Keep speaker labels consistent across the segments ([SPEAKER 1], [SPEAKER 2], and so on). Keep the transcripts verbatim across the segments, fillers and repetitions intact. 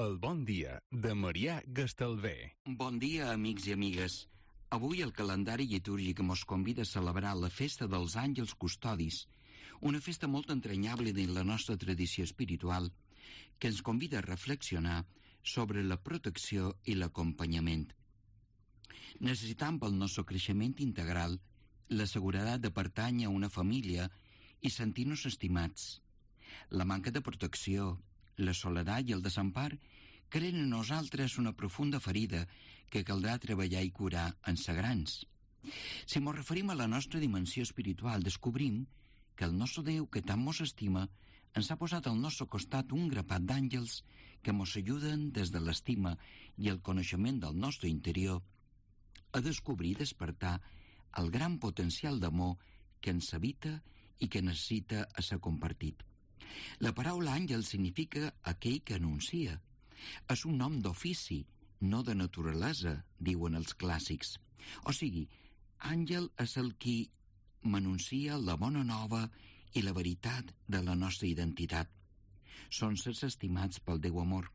[SPEAKER 1] El bon dia de Marià Gastalver.
[SPEAKER 2] Bon dia, amics i amigues. Avui el calendari litúrgic mos convida a celebrar la festa dels àngels custodis, una festa molt entranyable dins la nostra tradició espiritual que ens convida a reflexionar sobre la protecció i l'acompanyament. Necessitam pel nostre creixement integral la seguretat de pertànyer a una família i sentir-nos estimats. La manca de protecció, la soledat i el desempar creen en nosaltres una profunda ferida que caldrà treballar i curar en sagrans. Si mos referim a la nostra dimensió espiritual, descobrim que el nostre Déu, que tant mos estima, ens ha posat al nostre costat un grapat d'àngels que mos ajuden des de l'estima i el coneixement del nostre interior a descobrir i despertar el gran potencial d'amor que ens habita i que necessita a ser compartit. La paraula àngel significa aquell que anuncia. És un nom d'ofici, no de naturalesa, diuen els clàssics. O sigui, àngel és el qui m'anuncia la bona nova i la veritat de la nostra identitat. Són sers estimats pel Déu amor.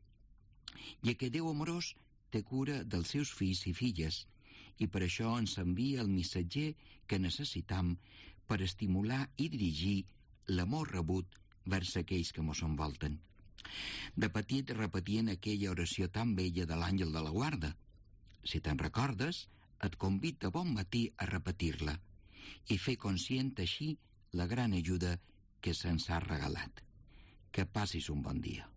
[SPEAKER 2] I aquest Déu amorós té cura dels seus fills i filles, i per això ens envia el missatger que necessitam per estimular i dirigir l'amor rebut vers aquells que mos envolten. De petit repetien aquella oració tan bella de l'àngel de la guarda. Si te'n recordes, et convido de bon matí a repetir-la i fer conscient així la gran ajuda que se'ns ha regalat. Que passis un bon dia.